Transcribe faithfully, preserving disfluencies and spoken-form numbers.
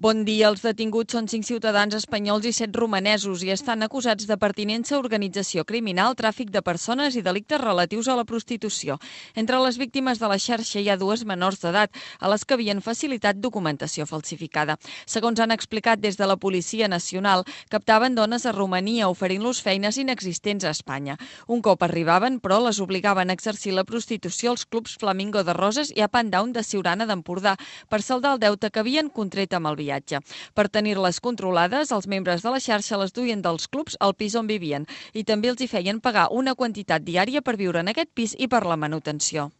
Bon dia. Els detinguts són cinc ciutadans espanyols i set romanesos i estan acusats de pertinença a organització criminal, tràfic de persones i delictes relatius a la prostitució. Entre les víctimes de la xarxa hi ha dues menors d'edat, a les que havien facilitat documentació falsificada. Segons han explicat des de la Policia Nacional, captaven dones a Romania oferint-los feines inexistents a Espanya. Un cop arribaven, però, les obligaven a exercir la prostitució als clubs Flamingo de Roses i a Pandown de Siurana d'Empordà per saldar el deute que havien contret amb el viatge. Per tenir-les controlades, els membres de la xarxa les duien dels clubs al pis on vivien i també els hi feien pagar una quantitat diària per viure en aquest pis i per la manutenció.